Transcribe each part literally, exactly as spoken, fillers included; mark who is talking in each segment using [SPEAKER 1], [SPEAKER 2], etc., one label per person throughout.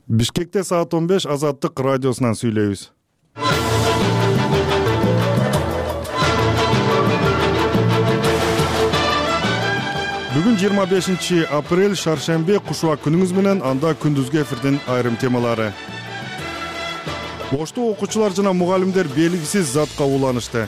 [SPEAKER 1] Бишкекте саат он беш Азаттык радиосунан сүйлөйбүз. Бүгүн жыйырма бешинчи апрель шаршемби, кушуак күнүңүз менен. Анда күндүзгү эфирдин айрым темалары. Ошту окуучулар жана мугалимдер белгисиз затка уланышты.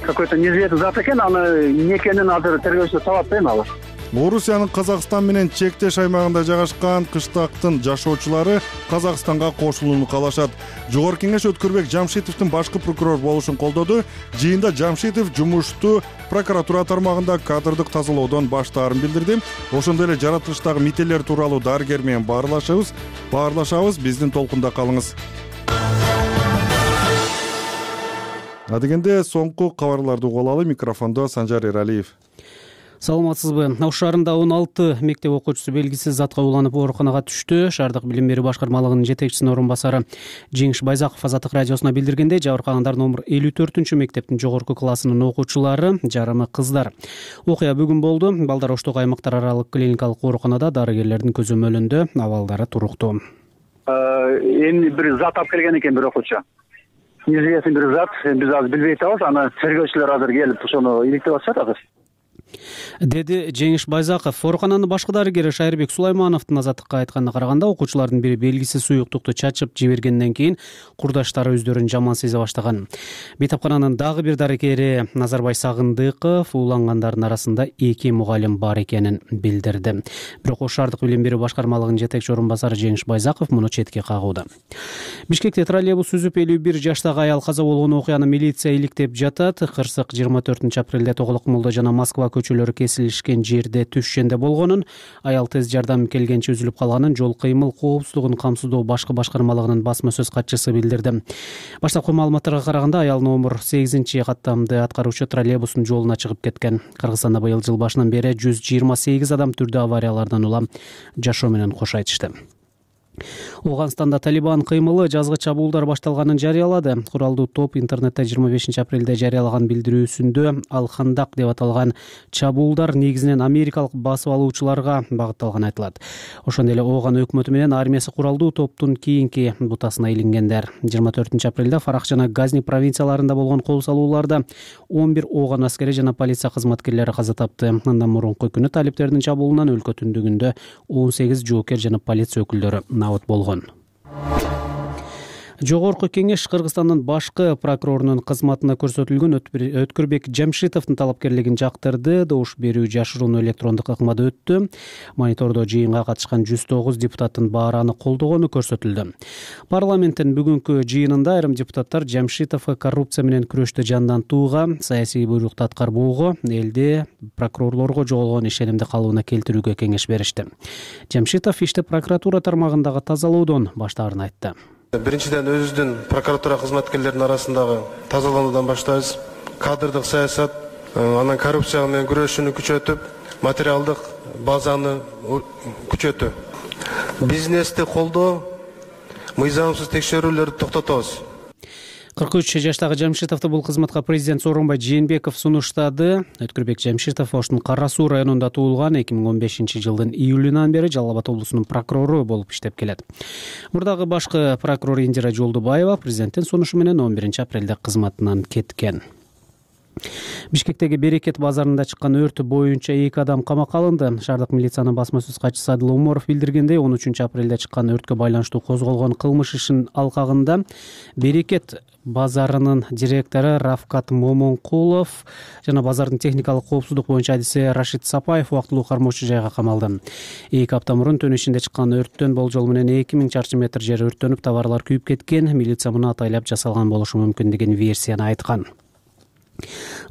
[SPEAKER 2] Какой-то неизвестный зат экен, аны эмне экенин азыр тергөөчүлөр таап атпайм алар.
[SPEAKER 1] Орусиянын Казакстан менен чектеш аймагында жайгашкан кыштактын жашоочулары Казакстанга кошулууну каалашат. Жогорку кеңеш Өткүрбек Жамшитовдун башкы прокурор болушун колдоду. Жыйында Жамшитов жумушту прокуратура тармагында кадрдык тазалоодон баштаарын билдирди. Ошондой эле жаратылыштагы мителер тууралуу дарыгер менен баарлашабыз. Баарлашабыз, биздин толкунда калыңыз. Адегенде соңку кабарларды угуп алалы. Микрофондо Санжар Эралиев.
[SPEAKER 3] Саламатсызбы? Ош шаарында он алты мектеп окуучусу белгисиз затка уланып ооруканага түштү. Шаардык билим берүү башкармалыгынын жетекчисинин орун басары Жеңиш Байзаков Азаттык радиосуна билдиргендей, жабыркагандар номер элүү төртүнчү мектептин жогорку классынын окуучулары, жарымы кыздар. Окуя бүгүн болду. Балдар Оштогу аймактар аралык клиникалык ооруканада дарыгерлердин көзөмөлүндө, абалдары туруктуу.
[SPEAKER 2] Эми бир зат алып келген экен бир окуучу. Неизвестный бир зат, биз азыр билбей атабыз. Аны тергөөчүлөр азыр келип ошону иликтеп атышат азыр.
[SPEAKER 3] Деди Жеңиш Байзаков. Оорукананын башкы дарыгери Шайырбек Сулаймановдун Азаттыкка айтканына караганда, окуучулардын бири белгисиз суюктукту чачып жибергенден кийин курдаштары өздөрүн жаман сезе баштаган. Бейтапкананын дагы бир дарыгери Назарбай Сагындыков улангандардын арасында эки мугалим бар экенин билдирди. Бирок Ош шаардык билим берүү башкармалыгынын жетекчи орун басары Жеңиш Байзаков муну четке кагууда. Бишкекте троллейбус үзүп элүү бир жаштагы аял каза болгон окуяны милиция иликтеп жатат. Кырсык жыйырма төртүнчү апрелде Тоголок Молдо жана Москва көчөлөрү кесилишкен жерде түшкенде болгонун, аял тез жардам келгенче үзүлүп калганын жол кыймыл коопсуздугун камсыздоо башкы башкармалыгынын басма сөз катчысы билдирди. Баштапкы маалыматтарга караганда, аял номер сегизинчи каттамды аткаруучу троллейбустун жолуна чыгып кеткен. Кыргызстанда быйыл жыл башынан бери жүз жыйырма сегиз адам түрдүү авариялардан улам жашоо менен кош айтышты. Оганстанда Талибан кыймылы жазгы чабуулдар башталганын жарыялады. Куралдуу топ интернетте жыйырма бешинчи апрелде жарыялаган билдирүүсүндө Ал-Хандак деп аталган чабуулдар негизинен америкалык басып алуучуларга багытталганы айтылат. Ошондой эле Ооган өкмөтү менен армиясы куралдуу топтун кийинки бутасына илингендер. жыйырма төртүнчү апрелде Фарах жана Газни провинцияларында болгон кол салууларда он бир Ооган аскери жана полиция кызматкерлери каза тапты. Андан мурунку күнү талиптердин чабуулунан өлкө түндүгүндө он сегиз жоокер жана полиция өкүлдөрү набыт болгон. Жогорку кеңеш Кыргызстандын башкы прокурорунун кызматына көрсөтүлгөн Өткүрбек Жамшитовдун талапкерлигин жактырды. Добуш берүү жашыруун электрондук ыкмада өттү. Монитордо жыйынга катышкан жүз тогуз депутаттын баары аны колдогону көрсөтүлдү. Парламенттин бүгүнкү жыйынында айрым депутаттар Жамшитовго коррупция менен күрөштү жандантууга, саясий буйрукту аткарбоого, элде прокурорлорго жоголгон ишенимди калыбына келтирүүгө кеңеш беришти. Жамшитов ишти прокуратура тармагындагы тазалоодон баштаарын айтты.
[SPEAKER 4] Биринчиден, өзүбүздүн прокуратура кызматкерлеринин арасындагы тазалануудан баштайбыз. Кадрдык саясат, анан коррупция менен күрөшүүнү күчөтүп, материалдык базаны күчөтүү. Бизнести колдоо, мыйзамсыз текшерүүлөрдү токтотобуз.
[SPEAKER 3] кырк үч жаштагы Жамшитовду бул кызматка президент Сооронбай Жээнбеков сунуштады. Өткүрбек Жамшитов Оштун Кара Суу районунда туулган, эки миң он бешинчи жылдын июлунан бери Жалал Абад облусунун прокурору болуп иштеп келет. Мурдагы башкы прокурор Индира Жолдубаева президенттин сунушу менен он биринчи апрелде кызматынан кеткен. Бишкектеги Берекет базарында чыккан өрт боюнча эки адам камакка алынды. Шаардык милициянын басма сөз катчысы Адыл Умаров билдиргендей, он үчүнчү апрелде чыккан өрткө байланыштуу козголгон кылмыш ишинин алкагында Берекет базарынын директору Рафкат Момонкулов жана базардын техникалык коопсуздук боюнча адиси Рашид Сапаев убактылуу кармоочу жайга камалды. эки апта мурун Төн ишинде чыккан өрттөн болжол менен эки миң чарчы метр жер өрттөнүп, товарлар күйүп кеткен. Милиция муну атайлап жасалган болушу мүмкүн деген версияны айткан.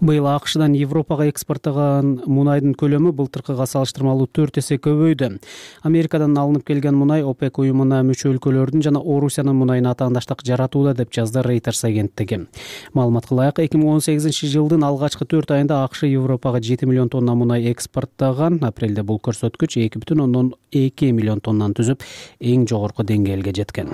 [SPEAKER 3] Быйыл АКШдан Европага экспорттогон мунайдын көлөмү былтыркыга салыштырмалуу төрт эсе көбөйдү. Америкадан алынып келген мунай ОПЕК уюмуна мүчө өлкөлөрдүн жана Орусиянын мунайына атаандаштык жаратууда деп жазды Reuters агенттиги. Маалыматка ылайык, эки миң он сегизинчи жылдын алгачкы төрт айында АКШ Европага жети миллион тонна мунай экспорттогон. Апрелде бул көрсөткүч эки бүтүн ондон эки миллион тоннаны түзүп, эң жогорку деңгээлге жеткен.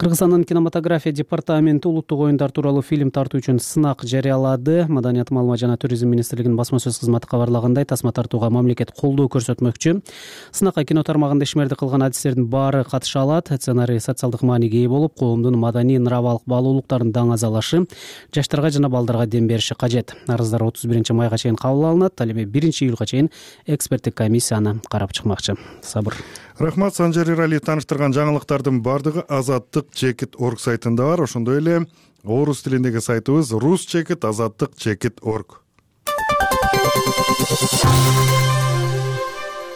[SPEAKER 3] Кыргызстандын кинематография департаменти улуттук оюндар тууралуу фильм тартуу үчүн сынак жарыялады. Маданият, маалымат жана туризм министрлигинин басма сөз кызматы кабарлагандай, тасма тартууга мамлекет колдоо көрсөтмөкчү. Сынакка кино тармагында ишмердик кылган адистердин баары катыша алат. Сценарий социалдык мааниге ээ болуп, коомдун маданий, нравалык баалуулуктарын даңазалашы, жаштарга жана балдарга дем бериши кажет. Арыздар отуз биринчи майга чейин кабыл алынат. Ал эми биринчи июлга чейин эксперттик комиссия аны карап чыкмакчы. Сабыр.
[SPEAKER 1] Рахмат, Санжар Иралиев таныштырган жаңылыктардын баардыгы Азаттык чекит орг сайтында бар. Ошондой эле орус тилиндеги сайтыбыз рус чекит азаттык чекит орг.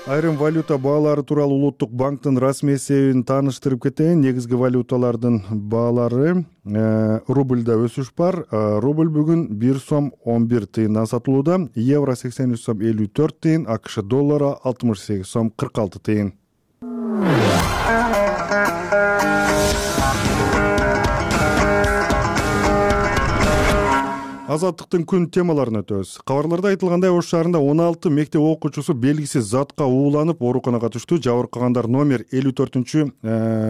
[SPEAKER 1] Айрым валюта баалары тууралуу Улуттук банктын расмий эсебин тааныштырып кетейин. Негизги валюталардын баалары рубльда өсүш бар. Рубль бүгүн бир сом он бир тыйындан сатылууда. Евро сексен үч сом элүү төрт тыйын, АКШ доллары алтымыш сегиз сом кырк алты тыйын. Азаттыктын күн темаларын өтөбүз. Кабарларда айтылгандай, Ош шаарында он алты мектеп окуучусу белгисиз затка ууланып ооруканага түштү. Жабыркагандар номер элүү төртүнчү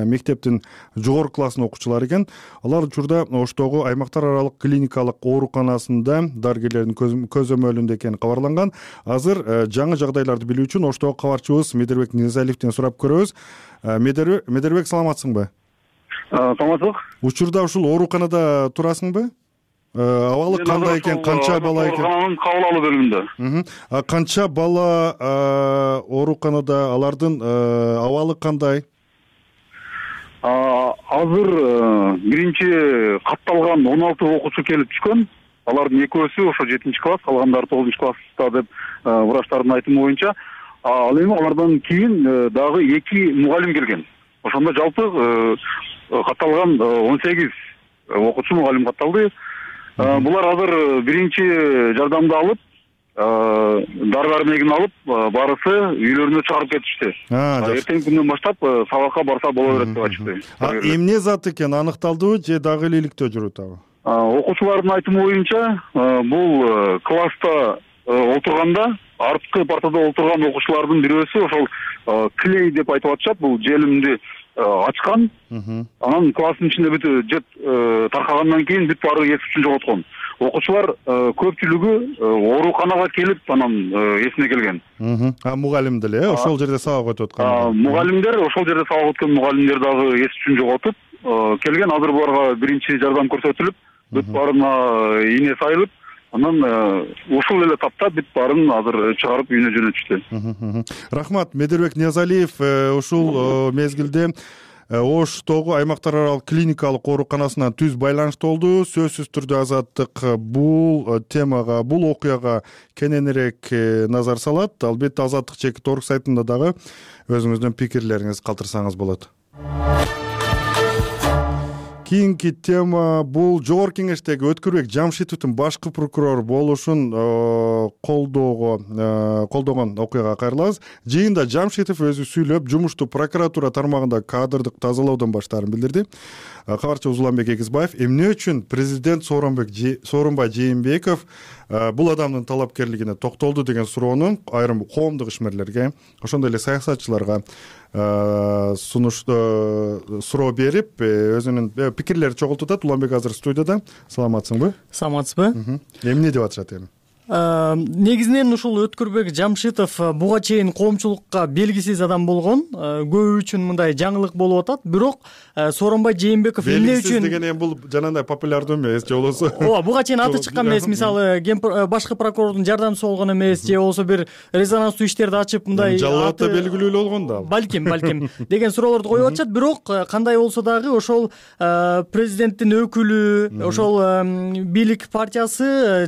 [SPEAKER 1] мектептин жогорку класстын окуучулары экен. Алар учурда Оштогу аймактар аралык клиникалык ооруканасында дарыгерлердин көзөмөлүндө экени кабарланган. Азыр жаңы жагдайларды билүү үчүн Оштогу кабарчыбыз Медербек Низалиевден сурап көрөбүз. Медербек, саламатсыңбы?
[SPEAKER 2] Саламатсызбы.
[SPEAKER 1] Учурда ушул ооруканада турасыңбы? Абалы кандай экен, канча бала экен?
[SPEAKER 2] Оорукананын кабыл алуу бөлүмүндө.
[SPEAKER 1] Канча бала ооруканада, алардын абалы кандай?
[SPEAKER 2] Азыр биринчи катталган он алты окуучу келип түшкөн. Алардын экөөсү ошо жетинчи класс, калгандары тогузунчу класста деп врачтардын айтымы боюнча. Ал эми алардан кийин дагы эки мугалим келген. Ошондо жалпы катталган он сегиз окуучу, мугалим катталды. Булар азыр биринчи жардамды алып, дары дармегин алып, барысы үйлөрүнө чыгарып кетишти. Эртең күндөн баштап сабакка барса боло берет деп айтышты.
[SPEAKER 1] Эмне зат экен аныкталдыбы же дагы иликтөө жүрөт абы?
[SPEAKER 2] Окуучулардын айтымы боюнча, бул класста отурганда арткы партада отурган окуучулардын бирөөсү ошол клей деп айтып атышат, бул желимди ачкан. Анан класстын ичинде бүт жет таркагандан кийин бүт баары эс-түшүн жоготкон. Окуучулар көпчүлүгү ооруканага келип, анан эсине келген.
[SPEAKER 1] А мугалим деле ошол жерде сабак өтүп аткан.
[SPEAKER 2] Мугалимдер ошол жерде сабак өткөн мугалимдер дагы эс-түшүн жоготуп келген. Азыр буларга биринчи жардам көрсөтүлүп, бүт баарына ийне сайылып, анан ушул эле тапта бүт баарын азыр чыгарып үйүнө жөнөтүштү.
[SPEAKER 1] Рахмат, Медербек Низалиев ушул мезгилде Оштогу аймактар аралык клиникалык ооруканасына түз байланышта болду. Сөзсүз түрдө Азаттык бул темага, бул окуяга кененирээк назар салат. Албетте Азаттык чекит орг сайтында дагы өзүңүздүн пикирлериңизди калтырсаңыз болот. Кийинки тема бул Жогорку Кеңештеги Өткүрбек Жамшитовдун башкы прокурор болушун колдоого колдогон окуяга кайрылабыз. Жыйында Жамшитов өзү сүйлөп, жумушту прокуратура тармагында кадрдык тазалоодон баштаарын билдирди. Кабарчыбыз Уланбек Эгизбаев эмне үчүн президент Сооронбай Жээнбеков бул адамдын талапкерлигине токтолду деген суроону айрым коомдук ишмерлерге, ошондой эле саясатчыларга сунуш суроо берип, өзүнүн пикирлерин чогултуп атат. Уланбек азыр студияда. Саламатсыңбы?
[SPEAKER 5] Саламатсызбы?
[SPEAKER 1] Эмне деп атышат эми?
[SPEAKER 5] Негизинен ушул Өткүрбек Жамшитов буга чейин коомчулукка белгисиз адам болгон. Көбү үчүн мындай жаңылык болуп атат. Бирок Сооронбай Жээнбеков эмне үчүн
[SPEAKER 1] деген эми бул жанагындай популярдуу эмес, же болбосо
[SPEAKER 5] ооба, буга чейин аты чыккан эмес. Мисалы, башкы прокурордун жардамчысы болгон эмес, же болбосо бир резонанстуу иштерди ачып мындай
[SPEAKER 1] жалаатта белгилүү болгон да.
[SPEAKER 5] Балким, балким деген суроолорду коюп атышат. Бирок кандай болсо дагы ошол президенттин өкүлү, ошол бийлик партиясы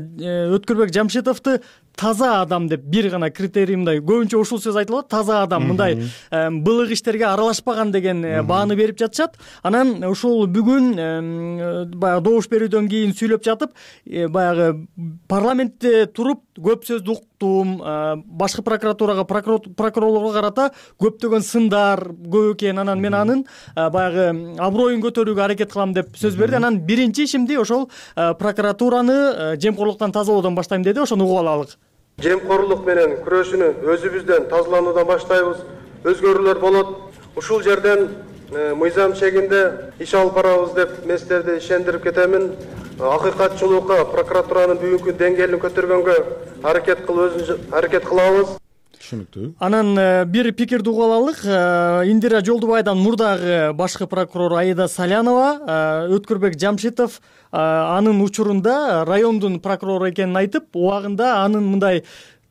[SPEAKER 5] Өткүрбек Жамшитовду таза адам деп бир гана критерий, мындай көбүнчө ушул сөз айтылат, таза адам, мындай былык иштерге аралашпаган деген бааны берип жатышат. Анан ушул бүгүн баягы добуш берүүдөн кийин сүйлөп жатып, баягы парламентте туруп көп сөздү уктум, башкы прокуратурага, прокурорлорго карата көптөгөн сындар көп экен. Анан мен анын баягы аброюн көтөрүүгө аракет кылам деп сөз берди. Анан биринчи ишимди ошол прокуратураны жемкорлуктан тазалоодон баштайм деди. Ошону угуп алалык.
[SPEAKER 4] Жемкорлук менен күрөшүүнү өзүбүздөн тазалануудан баштайбыз. Өзгөрүүлөр болот. Ушул жерден мыйзам чегинде иш алып барабыз деп мен сиздерди ишендирип кетемин. Акыйкатчылыкка прокуратуранын бүгүнкү деңгээлин көтөргөнгө аракет кылып өзүбүз аракет кылабыз.
[SPEAKER 1] Түшүнүктүү.
[SPEAKER 5] Анан бир пикирди угуп алалык. Индира Жолдубайдан мурдагы башкы прокурор Аида Салянова Өткүрбек Жамшитов анын учурунда райондун прокурору экенин айтып, убагында анын мындай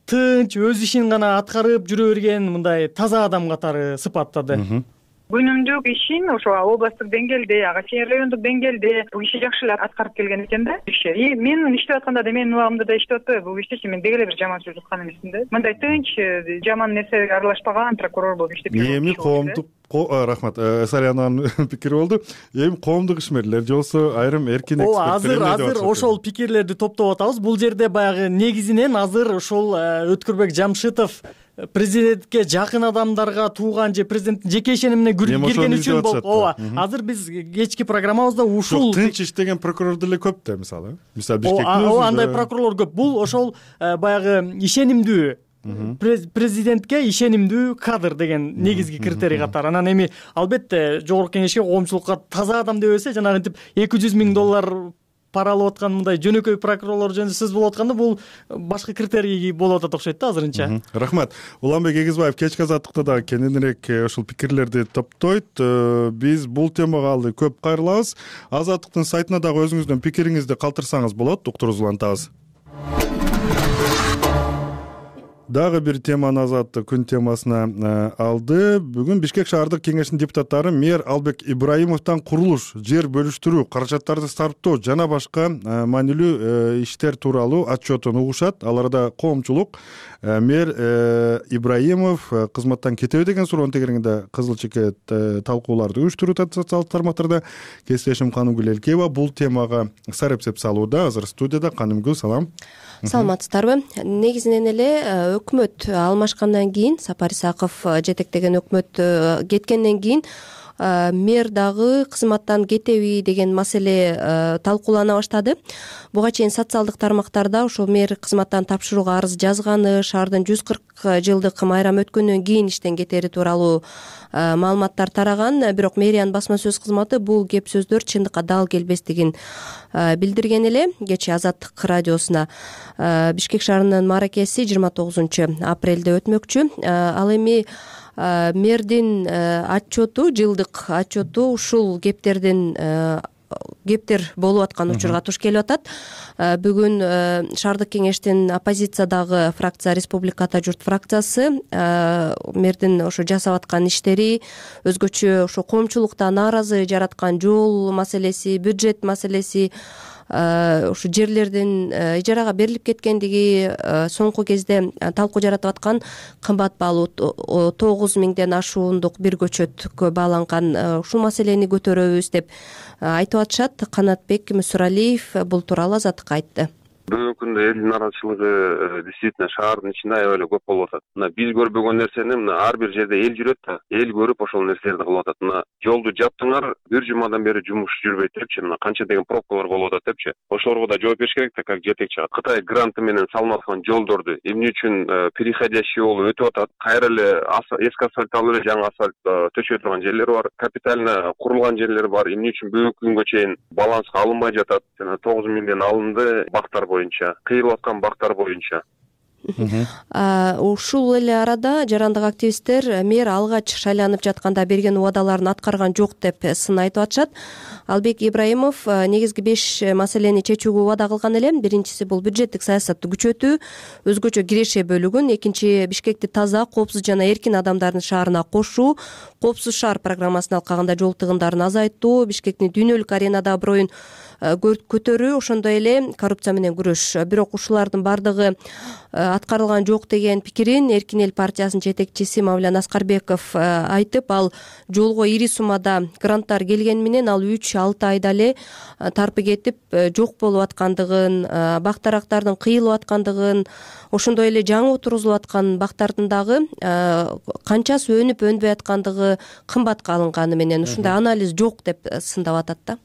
[SPEAKER 5] тынч, өз ишин гана аткарып жүрө берген, мындай таза адам катары сыпаттады.
[SPEAKER 6] Күнүмдүк ишин ошо областтык деңгээлде, ага чейин райондук деңгээлде бул киши жакшы эле аткарып келген экен да. И мен иштеп атканда да менин убагымда да иштеп атпайбы бул кишичи, мен деги эле бир жаман сөз уткан эмесмин да. Мындай тынч, жаман нерсеге аралашпаган прокурор болуп иштеп жүргөн.
[SPEAKER 1] Эми коомдук рахмат, Салянанын пикири болду. Эми коомдук ишмерлер же болбосо айрым эркин эксперттер
[SPEAKER 5] азыр азыр ошол пикирлерди топтоп атабыз. Бул жерде баягы негизинен азыр ошол Өткүрбек Жамшитов президентке жакын адамдарга тууган же президенттин жеке ишенимине кирген үчүн болуп. Ооба. Азыр биз кечки программабызда ушул
[SPEAKER 1] тынч иштеген прокурор деле көп да, мисалы. Мисалы Бишкектин
[SPEAKER 5] Ооба, андай прокурорлор көп. Бул ошол баягы ишенимдүү президентке ишенимдүү кадр деген негизги критерий катары. Анан эми албетте жогорку кеңешке коомчулукка таза адам деп берсе, жанагынтип эки жүз миң доллар пара алып аткан мындай жөнөкөй прокурорлор жөнүндө сөз болуп атканда, бул башка критерий болуп атат окшойт да азырынча.
[SPEAKER 1] Рахмат. Уланбек Эгизбаев кечки азаттыкта дагы кененирээк ушул пикирлерди топтойт. Биз бул темага алды көп кайрылабыз. Азаттыктын сайтына дагы өзүңүздүн пикириңизди калтырсаңыз болот. Уктуруңузду улантабыз. Дагы бир теманы Азаттык күн темасына алды. Бүгүн Бишкек шаардык кеңешинин депутаттары мэр Албек Ибраимовдон курулуш, жер бөлүштүрүү, каражаттарды сарптоо жана башка маанилүү иштер тууралуу отчетун угушат. Аларда коомчулук мэр Ибраимов кызматтан кетеби деген суроонун тегерегинде кызыл чекет талкууларды уюштурууда социалдык тармактарда. Кесиптешим Канымгүл Элкеева бул темага сарепсеп салууда. Азыр студияда. Канымгүл, салам.
[SPEAKER 7] Саламатсыздарбы? Негизинен эле өкмөт алмашкандан кийин, Сапар Исаков жетектеген өкмөт кеткенден кийин мэр дагы кызматтан кетеби деген маселе талкуулана баштады. Буга чейин социалдык тармактарда ошол мэр кызматтан тапшырууга арыз жазганы, шаардын жүз кырк жылдык майрам өткөндөн кийин иштен кетери тууралуу маалыматтар тараган. Бирок мэриянын басма сөз кызматы бул кеп сөздөр чындыкка дал келбестигин билдирген эле. Кечээ Азаттык радиосуна Бишкек шаарынын мааракеси жыйырма тогузунчу апрелде өтмөкчү. Ал эми мэрдин отчету, жылдык отчету ушул кептердин кептер болуп аткан учурга туш келип атат. Бүгүн шаардык кеңештин оппозициядагы фракция Республика Ата журт фракциясы мэрдин ошо жасап аткан иштери, өзгөчө ошо коомчулукта нааразы жараткан жол маселеси, бюджет маселеси, ушу жерлердин ижарага берилип кеткендиги, соңку кезде талкуу жаратып аткан кымбат баалуу тогуз миңден ашуундук бир көчөткө бааланган ушул маселени көтөрөбүз деп айтып атышат. Канатбек Мүсүралиев бул тууралуу Азаттыкка айтты.
[SPEAKER 8] Бүгүнкү күндө элдин нааразычылыгы действительно шаардын ичинде аябай эле көп болуп атат. Мына биз көрбөгөн нерсени мына ар бир жерде эл жүрөт да, эл көрүп ошол нерселерди кылып атат. Мына жолду жаптыңар, бир жумадан бери жумуш жүрбөйт депчи, мына канча деген пробкалар болуп атат депчи. Ошолорго да жооп бериш керек да, как жетекчи. Кытай гранты менен салынып аткан жолдорду эмне үчүн переходящий болуп өтүп атат? Кайра эле эски асфальт алып эле жаңы асфальт төшөй турган жерлер бар, капитально курулган жерлер бар. Эмне үчүн бүгүнкү күнгө чейин баланска алынбай жатат? Жана тогуз миңден алынды бактар боюнча, кыйылып аткан бактар боюнча.
[SPEAKER 7] Ушул эле арада жарандык активисттер мэр алгач шайланып жатканда берген убадаларын аткарган жок деп сын айтып атышат. Албек Ибраимов негизги беш маселени чечүүгө убада кылган эле. Биринчиси бул бюджеттик саясатты күчөтүү, өзгөчө киреше бөлүгүн. Экинчи, Бишкекти таза, коопсуз жана эркин адамдардын шаарына кошуу, коопсуз шаар программасын алкаганда жол тыгындарын азайтуу, Бишкектин дүйнөлүк аренада аброюн көтөрүү, ошондой эле коррупция менен күрөш. Бирок ушулардын бардыгы аткарылган жок деген пикирин Эркин эл партиясынын жетекчиси Мавлян Аскарбеков айтып, ал жолго ири суммада гранттар келгени менен ал үч алты айда эле тарпы кетип жок болуп аткандыгын, бактарактардын кыйылып аткандыгын, ошондой эле жаңы отургузулуп аткан бактардын дагы канчасы өнүп өнбөй аткандыгы кымбатка алынганы менен ушундай анализ жок деп сындап атат да.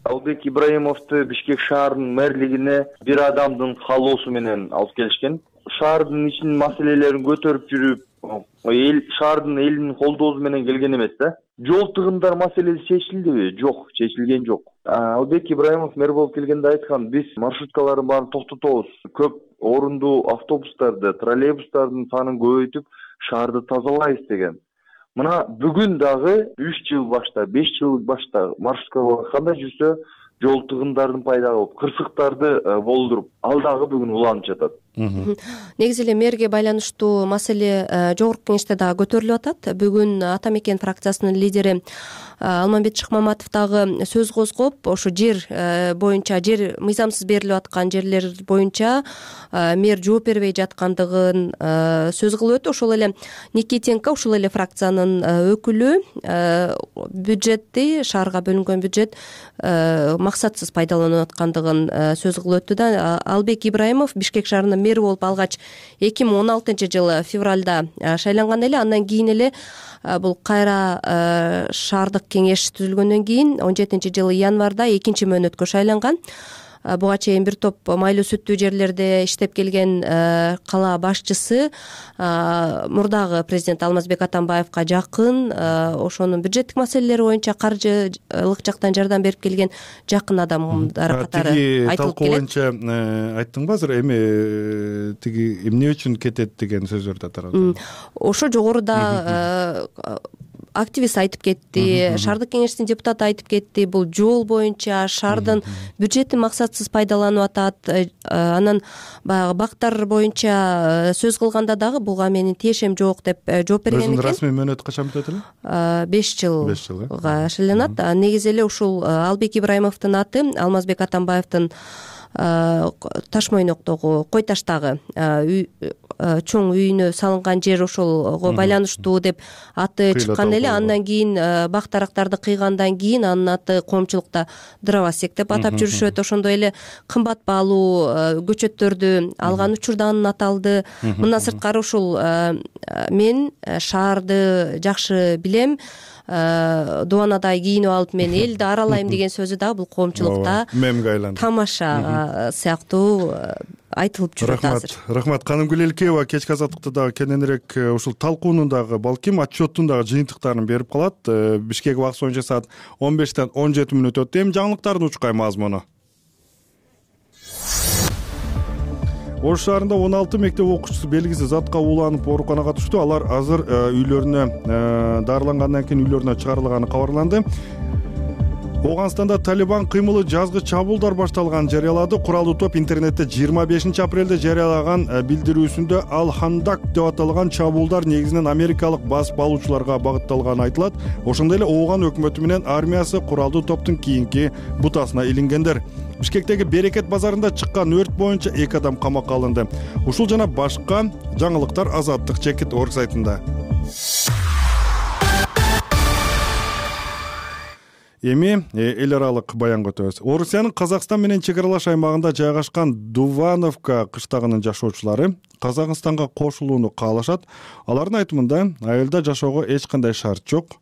[SPEAKER 9] Албек Ибраимовду Бишкек шаарынын мэрлигине бир адамдын каалоосу менен алып келишкен. Шаардын ичинин маселелерин көтөрүп жүрүп, эл шаардын элинин колдоосу менен келген эмес да. Жол тыгындар маселеси чечилдиби? Жок, чечилген жок. Албек Ибраимов мэр болуп келгенде айткан, биз маршруткалардын баарын токтотобуз. Көп орундуу автобустарды, троллейбустардын санын көбөйтүп, шаарды тазалайбыз деген. Мына бүгүн дагы үч жыл башта, беш жыл башта маршрутка кандай жүрсө, жол тыгындарын пайда кылып, кырсыктарды болдуруп, ал дагы бүгүн уланып жатат.
[SPEAKER 7] Негизи эле мэрге байланыштуу маселе жогорку кеңеште дагы көтөрүлүп атат. Бүгүн Ата Мекен фракциясынын лидери Алмамбет Шыкмаматов дагы сөз козгоп, ошо жер боюнча, жер мыйзамсыз берилип аткан жерлер боюнча мэр жооп бербей жаткандыгын сөз кылып өтүп, ошол эле Никитенко, ушул эле фракциянын өкүлү, бюджетти, шаарга бөлүнгөн бюджет максатсыз пайдаланылып аткандыгын сөз кылып өттү да. Албек Ибраимов Бишкек шаарынын мэри болуп алгач эки миң он алтынчы жылы февралда шайланган эле. Андан кийин эле бул кайра шаардык кеңеш түзүлгөндөн кийин он жетинчи жылы январда экинчи мөөнөткө шайланган. Буга чейин бир топ майлуу сүттүү жерлерде иштеп келген кала башчысы мурдагы президент Алмазбек Атамбаевка жакын, ошонун бюджеттик маселелери боюнча каржылык жактан жардам берип келген жакын адамдар катары айтылып келет.
[SPEAKER 1] Талкуу боюнча айттыңбы азыр, эми тиги эмне үчүн кетет деген сөздөрдү тарап?
[SPEAKER 7] Ошо жогоруда активист айтып кетти, шаардык кеңештин депутаты айтып кетти. Бул жол боюнча шаардын бюджетин максатсыз пайдаланып атат. Анан баягы бактар боюнча сөз кылганда дагы буга менин тиешем жок деп жооп берген экен.
[SPEAKER 1] Өзүнүн расмий мөөнөтү качан бүтөт эле?
[SPEAKER 7] беш жылга шайланат. Негизи эле ушул Албек Ибраимовдун аты Алмазбек Атамбаевдин Таш Мойноктогу, Кой Таштагы чоң үйүнө салынган жер ошолго байланыштуу деп аты чыккан эле. Андан кийин бак дарактарды кыйгандан кийин анын аты коомчулукта дровосек деп атап жүрүшөт. Ошондой эле кымбат баалуу көчөттөрдү алган учурда анын аты алды. Мындан сырткары ушул мен шаарды жакшы билем, дубанадай кийинип алып мен элди аралайм деген сөзү дагы бул коомчулукта мемге айланды, тамаша сыяктуу айтылып жүрөт азыр.
[SPEAKER 1] Рахмат. Канымгүл Элкеева кечки азаттыкта дагы кененирээк ушул талкуунун дагы, балким отчеттун дагы жыйынтыктарын берип калат. Бишкек убакыты боюнча саат он бештен он жети мүнөт өттү. Эми жаңылыктардын учкай мазмуну. Ош шаарында он алты мектеп окуучусу белгисиз затка ууланып ооруканага түштү. Алар азыр үйлөрүнө дарылангандан кийин үйлөрүнө чыгарылганы кабарланды. Ооганстанда Талибан кыймылы жазгы чабуулдар башталганын жарыялады. Куралдуу топ интернетте жыйырма бешинчи апрелде жарыялаган билдирүүсүндө Ал-Хандак деп аталган чабуулдар негизинен америкалык басып алуучуларга багытталганы айтылат. Ошондой эле Ооган өкмөтү менен армиясы куралдуу топтун кийинки бутасына илингендер. Бишкектеги Берекет базарында чыккан өрт боюнча эки адам камакка алынды. Ушул жана башка жаңылыктар Азаттык чекит орг сайтында. Эми эл аралык баянга өтөбүз. Орусиянын Казакстан менен чек аралаш аймагында жайгашкан Дувановка кыштагынын жашоочулары Казакстанга кошулууну каалашат. Алардын айтымында айылда жашоого эч кандай шарт жок.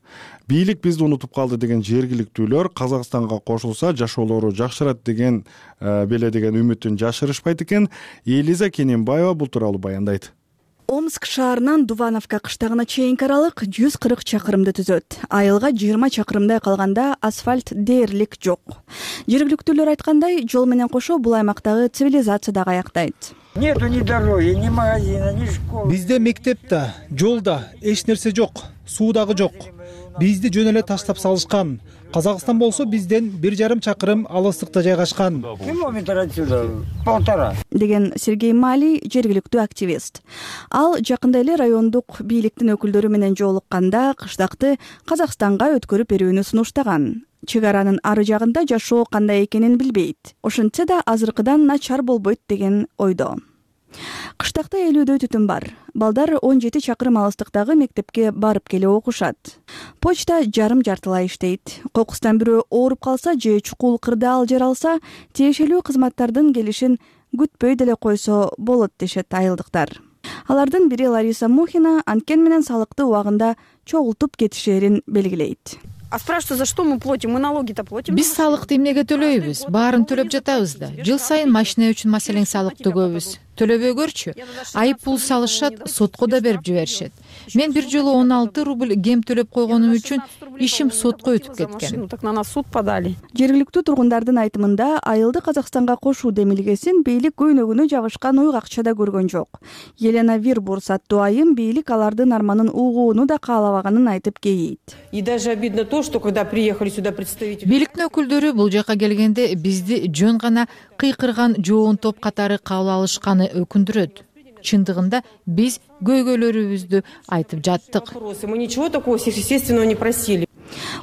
[SPEAKER 1] Бийлик бизди унутуп калды деген жергиликтүүлөр Казакстанга кошулса жашоолору жакшырат деген беле деген үмүтүн жашырышпайт экен. Элиза Кененбаева бул тууралуу баяндайт.
[SPEAKER 10] Омск шаарынан Дувановка кыштагына чейинки аралык жүз кырк чакырымды түзөт. Айылга жыйырма чакырымдай калганда асфальт дээрлик жок. Жергиликтүүлөр айткандай, жол менен кошо бул аймактагы цивилизация дагы аяктайт.
[SPEAKER 11] Нету ни дороги, ни магазина, ни школы.
[SPEAKER 12] Бизде мектеп да, жол да, эч нерсе жок, суу дагы жок. Бизди жөн эле таштап салышкан. Казакстан болсо бизден бир жарым чакырым алыстыкта жайгашкан.
[SPEAKER 11] Километр отсюда, полтора.
[SPEAKER 10] Деген Сергей Мали жергиликтүү активист. Ал жакында эле райондук бийликтин өкүлдөрү менен жолукканда кыштакты Казакстанга өткөрүп берүүнү сунуштаган. Чек аранын ары жагында жашоо кандай экенин билбейт. Ошентсе да азыркыдан начар болбойт деген ойдо. Кыштакта элүүдөй түтүн бар. Балдар он жети чакырым алыстыктагы мектепке барып келе окушат. Почта жарым жартылай иштейт. Кокустан бирөө ооруп калса же чукул кырдаал жаралса, тиешелүү кызматтардын келишин күтпөй деле койсо болот дешет айылдыктар. Алардын бири Лариса Мухина анткени менен салыкты убагында чогултуп кетишерин белгилейт.
[SPEAKER 13] А спрашивают, за что мы платим? Мы налоги-то платим.
[SPEAKER 14] Биз салыкты эмнеге төлөйбүз? Баарын төлөп жатабыз да. Жыл сайын машина үчүн маселен салык төгөбүз. төлөбөгөрчү айып пул салышат, сотко да берип жиберишет. Мен бир жолу он алты рубль кем төлөп койгонум үчүн ишим сотко өтүп кеткен.
[SPEAKER 13] Так на нас суд подали.
[SPEAKER 10] Жергиликтүү тургундардын айтымында айылды Казакстанга кошуу демилгесин бийлик көйнөгүнө жабышкан уйгакча да көргөн жок. Елена Вирбурс аттуу айым бийлик алардын арманын угууну да каалабаганын айтып кейийт.
[SPEAKER 15] И даже обидно то, что когда приехали сюда представители
[SPEAKER 14] бийликтин өкүлдөрү бул жака келгенде бизди жөн гана кыйкырган жоон топ катары кабыл алышканы өкүндүрөт. Чындыгында биз көйгөйлөрүбүздү айтып жаттык.
[SPEAKER 15] Мы ничего такого сверхъестественного не просили.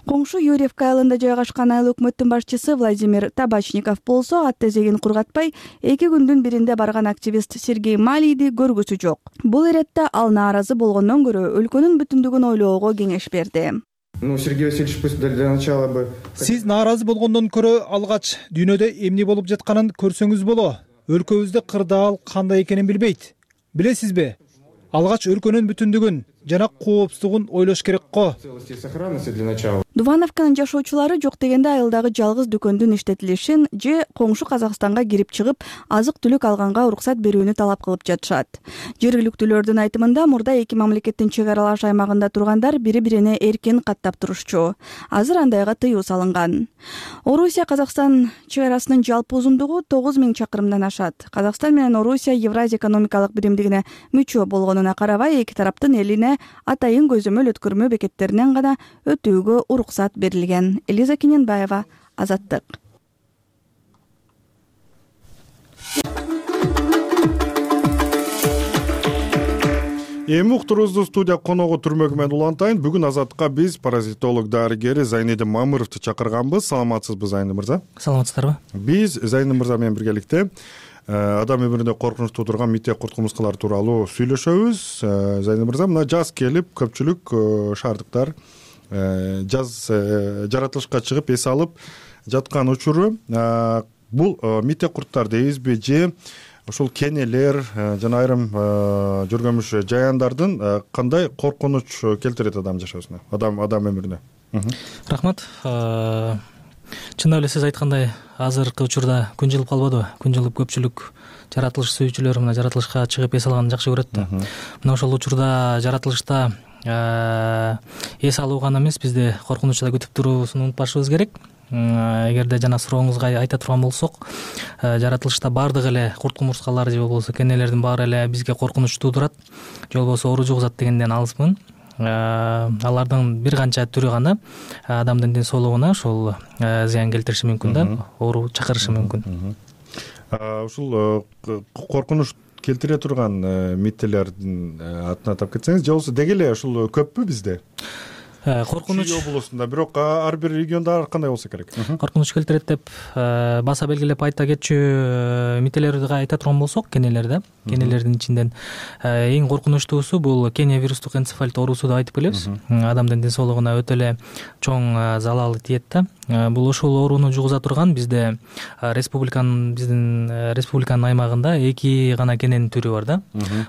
[SPEAKER 10] Коңшу Юрьевка айылында жайгашкан айыл өкмөттүн башчысы Владимир Табачников болсо ат тезегин кургатпай эки күндүн биринде барган активист Сергей Малийди көргүсү жок. Бул иретте ал нааразы болгондон көрө өлкөнүн бүтүндүгүн ойлоого кеңеш берди.
[SPEAKER 16] Ну, Сергей Васильевич, пусть для начала бы...
[SPEAKER 12] Сиз нааразы болгондон көрө алгач дүйнөдө эмне болуп жатканын көрсөңүз боло. Өлкөбүздө кырдаал кандай экенин билбейт. Билесизби? Алгач өлкөнүн бүтүндүгүн жана коопсуздугун ойлош керек го.
[SPEAKER 10] Дувановканын жашоочулары жок дегенде айылдагы жалгыз дүкөндүн иштетилишин же коңшу Казакстанга кирип чыгып азык түлүк алганга уруксат берүүнү талап кылып жатышат. Жергиликтүүлөрдүн айтымында мурда эки мамлекеттин чек аралаш аймагында тургандар бири-бирине эркин каттап турушчу. Азыр андайга тыюу салынган. Орусия Казакстан чек арасынын жалпы узундугу тогуз миң чакырымдан ашат. Казакстан менен Орусия Евразия экономикалык биримдигине мүчө болгонуна карабай эки тараптын элине атайын көзөмөл өткөрмө бекеттеринен гана өтүүгө уруксат берилген. Элиза Кененбаева, Азаттык.
[SPEAKER 1] Эми уктуруубузду студия коногу Түрмөгү менен улантайын. Бүгүн Азаттыкка биз паразитолог дарыгери Зайнидин Мамыровду чакырганбыз. Саламатсызбы, Зайнидин мырза?
[SPEAKER 17] Саламатсыздарбы?
[SPEAKER 1] Биз Зайнидин мырза менен биргеликте адам өмүрүндө коркунучтуу турган митек курт-кумурскалар тууралуу сүйлөшөбүз. Зайнидин мырза, мына жаз келип көпчүлүк шаардыктар жаз жаратылышка чыгып эс алып жаткан учуру. Бул митек курттар дейбизби же ушул кенелер жана айрым жүргөнмүш жаяндардын кандай коркунуч келтирет адам жашоосуна, адам адам өмүрүнө?
[SPEAKER 17] Рахмат. Чындап эле сиз айткандай, азыркы учурда күн жылып калбадыбы? Күн жылып көпчүлүк жаратылыш сүйүүчүлөр мына жаратылышка чыгып эс алганды жакшы көрөт да. Мына ошол учурда жаратылышта эс алуу гана эмес, бизде коркунучта күтүп туруусун унутпашыбыз керек. Эгерде жана сурооңузга айта турган болсок, жаратылышта баардык эле курт-кумурскалар же болбосо кенелердин баары эле бизге коркунуч туудурат, же болбосо оору жугузат дегенден алыспын. Алардын бир канча түрү гана адамдын ден соолугуна ошол зыян келтириши мүмкүн да, оору чакырышы мүмкүн.
[SPEAKER 1] Ушул коркунуч келтире турган миттелердин атын атап кетсеңиз, же болбосо деги эле ушул көппү бизде?
[SPEAKER 17] Коркунуч
[SPEAKER 1] Чүй облусунда, бирок ар бир региондо ар кандай болсо керек.
[SPEAKER 17] Коркунуч келтирет деп баса белгилеп айта кетчү мителерди айта турган болсок, кенелерде, кенелердин ичинен эң коркунучтуусу бул Кения вирустук энцефалит оорусу деп айтып келебиз. Адамдын ден соолугуна өтө эле чоң залалы тиет да. Бул ошол орууну жугуза турган бизде республиканын биздин республиканын аймагында эки гана кененин түрү бар да.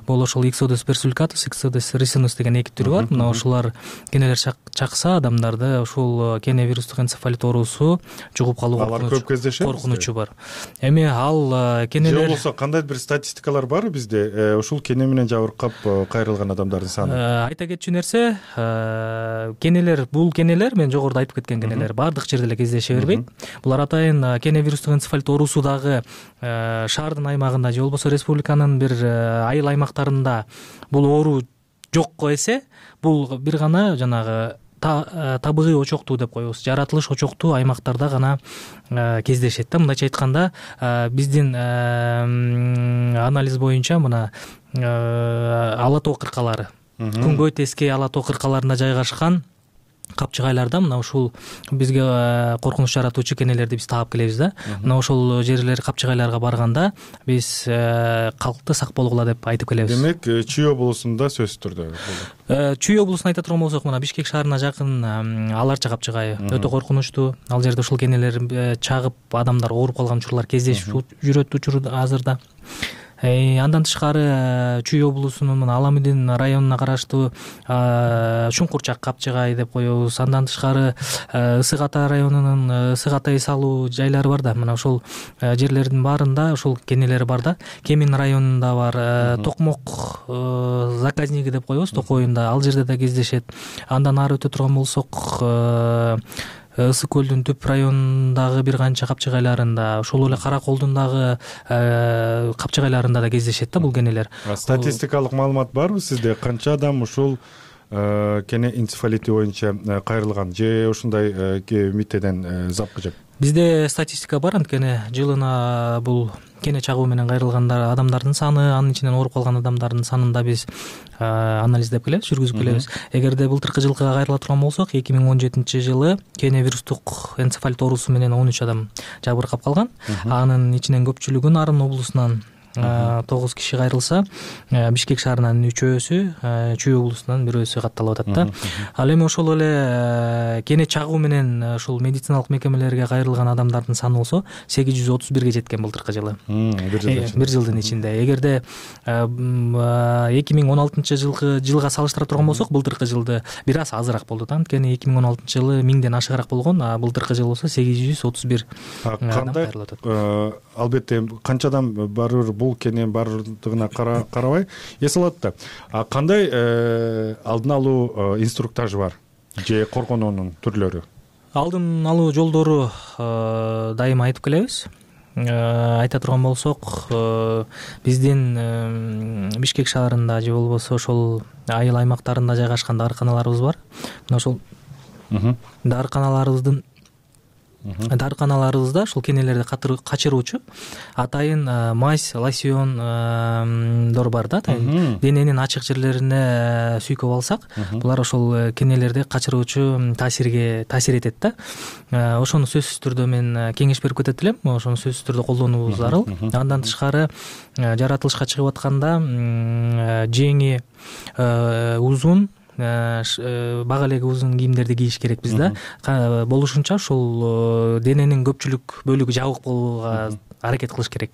[SPEAKER 17] Бул ошол Ixodes persulatus, Ixodes ricinus деген эки түрү бар. Мына ошолар кенелер чакса адамдарды ушул кения вирустук энцефалит оорусу жугуп калуу коркунучу бар. Эми ал кенелер
[SPEAKER 1] же болбосо кандайдыр бир статистикалар барбы бизде ушул кене менен жабыркап кайрылган адамдардын саны?
[SPEAKER 17] Айта кетчү нерсе, кенелер бул кенелер мен жогоруда айтып кеткен кенелер баардык жерде эле кездеше бербейт. Булар атайын кения вирустук энцефалит оорусу дагы шаардын аймагында же болбосо республиканын бир айыл аймактарында бул оору жокко эсе, бул бир гана жанагы табигый очоктуу деп коебуз, жаратылыш очоктуу аймактарда гана кездешет да. Мындайча айтканда, биздин анализ боюнча мына Ала тоо кыркалары, Күнгөй Тескей Ала тоо кыркаларында жайгашкан капчыгайларда мына ушул бизге коркунуч жаратуучу кенелерди биз таап келебиз да. Мына ошол жерлер капчыгайларга барганда биз калкты сак болгула деп айтып келебиз.
[SPEAKER 1] Демек, Чүй облусунда сөзсүз түрдө.
[SPEAKER 17] Чүй облусун айта турган болсок, мына Бишкек шаарына жакын Аларча капчыгайы өтө коркунучтуу. Ал жерде ушул кенелер чагып адамдар ооруп калган учурлар кездешип жүрөт учурда азырда. Андан тышкары Чүй облусунун мына Аламүдин районуна караштуу Чуңкурчак, Капчыгай деп коебуз. Андан тышкары Ысык Ата районунун Ысык Атай салуу жайлары бар да. Мына ошол жерлердин баарында ошол кенелер бар да. Кемин районунда бар, Токмок заказниги деп коебуз, Токойунда, ал жерде да кездешет. Андан ары өтө турган болсок, Ысык көлдүн түп районундагы бир канча капчыгайларында, ошол эле Кара Колдун дагы капчыгайларында да кездешет да бул кенелер.
[SPEAKER 1] Статистикалык маалымат барбы сизде? Канча адам ушул кене энцефалити боюнча кайрылган же ушундай митеден запкы жеп?
[SPEAKER 17] Бизде статистика бар, анткени жылына бул кене чагуу менен кайрылгандар адамдардын саны, анын ичинен ооруп калган адамдардын санын да биз анализдеп келебиз, жүргүзүп келебиз. Эгерде былтыркы жылкыга кайрыла турган болсок, эки миң он жетинчи жылы кене вирустук энцефалит оорусу менен он үч адам жабыркап калган. Анын ичинен көпчүлүгү Нарын облусунан тогуз киши кайрылса, Бишкек шаарынын үчөөсү, Чүй облусунан бирөөсү катталып атат да. Ал эми ошол эле кене чагуу менен ушул медициналык мекемелерге кайрылган адамдардын саны болсо сегиз жүз отуз бирге жеткен былтыркы жылы. Бир жылдын ичинде. Эгерде эки миң он алтынчы жылкы жылга салыштыра турган болсок, былтыркы жылды бир аз азыраак болду да. Анткени эки миң он алтынчы жылы миңден ашыгыраак болгон, а былтыркы жылы болсо сегиз жүз отуз бир адам кайрылып атат.
[SPEAKER 1] Албетте канча адам барыр бул кене бардыгына карабай эс алат да. А кандай алдын алуу инструктажы бар же коргонуунун түрлөрү?
[SPEAKER 17] Алдын алуу жолдору дайыма айтып келебиз. Айта турган болсок, биздин Бишкек шаарында же болбосо ошол айыл аймактарында жайгашкан дарыканаларыбыз бар. Мына ошол дарыканаларыбыздын дарыканаларыбызда ушул кенелерди качыруучу атайын мазь, лосьондор бар да. Атайын дененин ачык жерлерине сүйкөп алсак, булар ошол кенелерди качыруучу таасирге таасир этет да. Ошону сөзсүз түрдө мен кеңеш берип кетет элем. Ошону сөзсүз түрдө колдонуубуз зарыл. Андан тышкары жаратылышка чыгып атканда жеңи узун, бага элеги узун кийимдерди кийиш керекпиз да. Болушунча ушул дененин көпчүлүк бөлүгү жабык болууга аракет кылыш керек.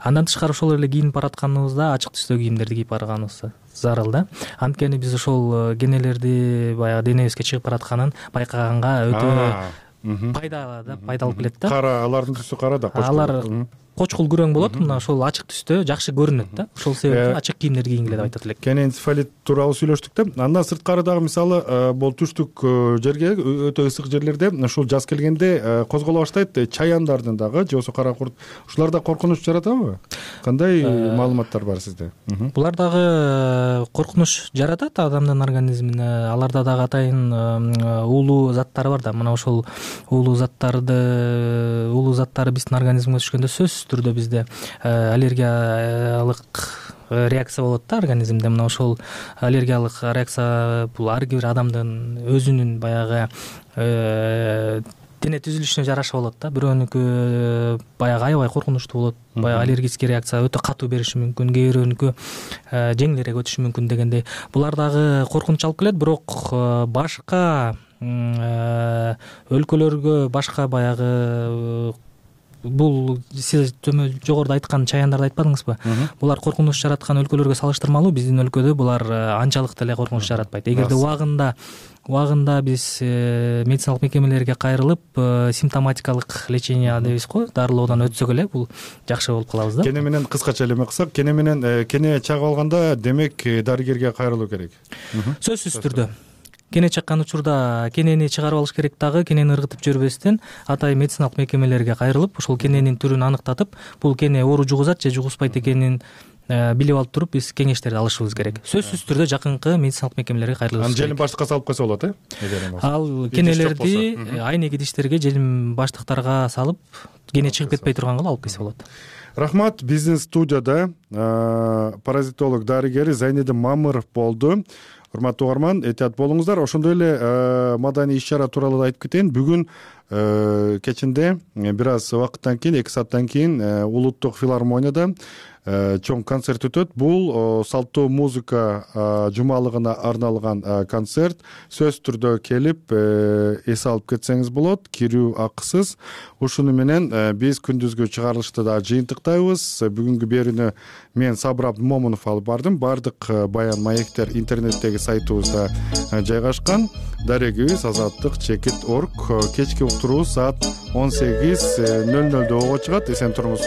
[SPEAKER 17] Андан тышкары ошол эле кийинип баратканыбызда ачык түстөгү кийимдерди кийип барганыбыз зарыл да. Анткени биз ошол кенелерди баягы денебизге чыгып баратканын байкаганга өтө пайдалуу да, пайдалуу келет да.
[SPEAKER 1] Кара, алардын түсү кара да,
[SPEAKER 17] алар кочкул күрөң болот, мына ошол ачык түстө жакшы көрүнөт да. Ошол себептен ачык кийимдер кийингиле деп айтат элек.
[SPEAKER 1] Кене энцефалит тууралуу сүйлөштүк да. Андан сырткары дагы мисалы бул түштүк жерге өтө ысык жерлерде ушул жаз келгенде козголо баштайт чаяндардын дагы же болбосо кара курт. Ушулар да коркунуч жаратабы? Кандай маалыматтар бар сизде?
[SPEAKER 17] Булар дагы коркунуч жаратат адамдын организмине. Аларда дагы атайын уулуу заттары бар да. Мына ошол уулуу заттарды, уулуу заттары биздин организмге түшкөндө сөзсүз түрдө бизде аллергиялык реакция болот да организмде. Мына ошол аллергиялык реакция бул ар бир адамдын өзүнүн баягы дене түзүлүшүнө жараша болот да. Бирөөнүкү баягы аябай коркунучтуу болот, баягы аллергический реакция өтө катуу бериши мүмкүн, кээ бирөөнүкү жеңилирээк өтүшү мүмкүн дегендей. Булар дагы коркунуч алып келет, бирок башка өлкөлөргө, башка баягы бул сиз жогоруда айткан чаяндарды айтпадыңызбы? Булар коркунуч жараткан өлкөлөргө салыштырмалуу биздин өлкөдө булар анчалык деле коркунуч жаратпайт. Эгерде убагында убагында биз медициналык мекемелерге кайрылып, симптоматикалык лечение дейбиз го, дарылоодон өтсөк эле бул жакшы болуп калабыз да.
[SPEAKER 1] Кене менен кыскача эле кылсак, кене менен кене чагып алганда демек дарыгерге кайрылуу керек.
[SPEAKER 17] Сөзсүз түрдө. Кене чаккан учурда кенени чыгарып алыш керек дагы, кенени ыргытып жүрбөстөн атайын медициналык мекемелерге кайрылып, ошол кененин түрүн аныктатып, бул кене оору жугузат же жугузбайт экенин билип алып туруп биз кеңештерди алышыбыз керек. Сөзсүз түрдө жакынкы медициналык мекемелерге кайрылышыбыз керек.
[SPEAKER 1] Аны желим баштыкка салып койсо болот, э?
[SPEAKER 17] Ал кенелерди айнек идиштерге, желим баштыктарга салып, кене чыгып кетпей турганга алып келсе болот.
[SPEAKER 1] Рахмат. Биздин студияда паразитолог дарыгери Зайнидин Мамыров болду. Урматтуу угарман, этият болуңуздар. Ошондой эле маданий иш чара тууралуу да айтып кетейин. Бүгүн кечинде бир аз убакыттан кийин эки сааттан кийин улуттук филармонияда чоң концерт өтөт. Бул салттуу музыка жумалыгына арналган концерт. Сөзсүз түрдө келип эс алып кетсеңиз болот, кирүү акысыз. Ушуну менен биз күндүзгү чыгарылышты да жыйынтыктайбыз. Бүгүнкү берүүнү мен Сабыр Абдымомунов алып бардым. Бардык баян маектер интернеттеги сайтыбызда жайгашкан. Дарегибиз азаттык чекит точка орг. Кечки уктуруубуз саат он сегиз нөл нөлдө ого чыгат. Эсен туруңуз.